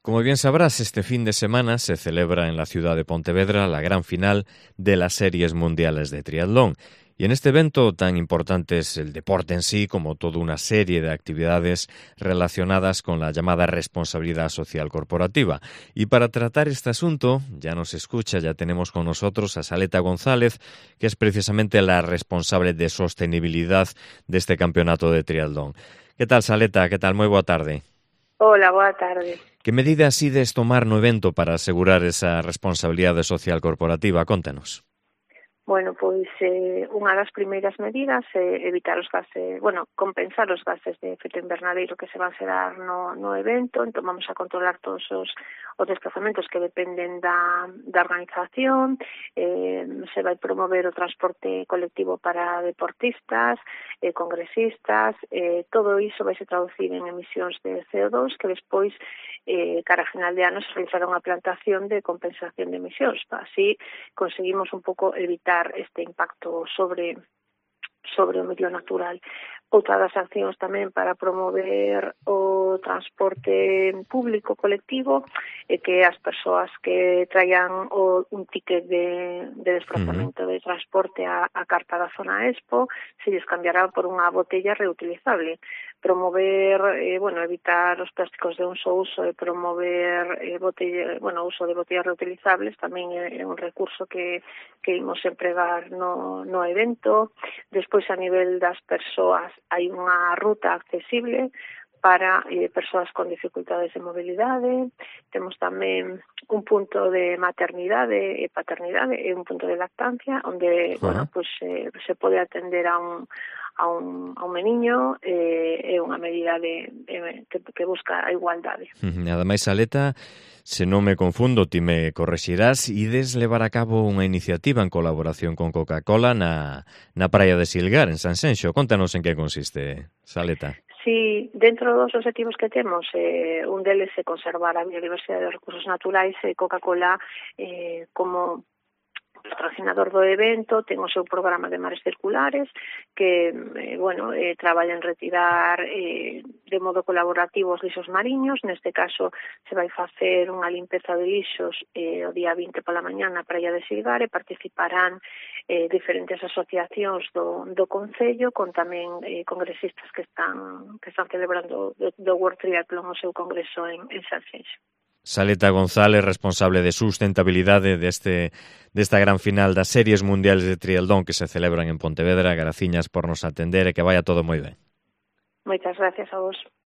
Como bien sabrás, este fin de semana se celebra en la ciudad de Pontevedra la gran final de las Series Mundiales de Triatlón. Y en este evento tan importante es el deporte en sí, como toda una serie de actividades relacionadas con la llamada responsabilidad social corporativa. Y para tratar este asunto, ya tenemos con nosotros a Saleta González, que es precisamente la responsable de sostenibilidad de este campeonato de triatlón. ¿Qué tal, Saleta? ¿Qué tal? Moi boa tarde. Hola, boa tarde. Que medidas ides tomar no evento para asegurar esa responsabilidade social corporativa? Contanos. Bueno, pois unha das primeiras medidas é evitar os gases, compensar os gases de efecto invernadeiro que se van xerar no evento. Entón vamos a controlar todos os desplazamentos que dependen da organización, se vai promover o transporte colectivo para deportistas, congresistas, todo iso vai se traducir en emisións de CO2 que despois, cara a final de ano, se realizará unha plantación de compensación de emisións. Así conseguimos un pouco evitar este impacto sobre o medio natural. Outra das accións tamén para promover o transporte público colectivo é que as persoas que traian un ticket de desplazamento de transporte a carta da zona Expo se lles cambiará por unha botella reutilizable. Promover, evitar os plásticos de un só uso e promover uso de botellas reutilizables tamén é un recurso que imos empregar no evento. Despois, a nivel das persoas, hai unha ruta accesible para persoas con dificultades de mobilidade. Temos tamén un punto de maternidade e paternidade e un punto de lactancia onde se pode atender a un meniño, é unha medida que busca a igualdade. Ademais, Saleta, se non me confundo, ti me correxirás, ides levar a cabo unha iniciativa en colaboración con Coca-Cola na praia de Silgar, en Sanxenxo. Contanos en que consiste, Saleta. Sí, dentro dos objetivos que temos, un deles é conservar a biodiversidade dos recursos naturais e Coca-Cola como patrocinador do evento ten o seu programa de mares circulares que traballa en retirar de modo colaborativo os lixos mariños. Neste caso se vai facer unha limpeza de lixos o día 20 pola mañá na praia de Silgar e participarán diferentes asociacións do Concello con tamén congresistas que están celebrando do World Triathlon o seu congreso en Sanxenxo. Saleta González, responsable de sustentabilidade desta gran final das Series Mundiales de Triatlón que se celebran en Pontevedra. Graciñas por nos atender e que vaya todo moi ben. Moitas gracias a vos.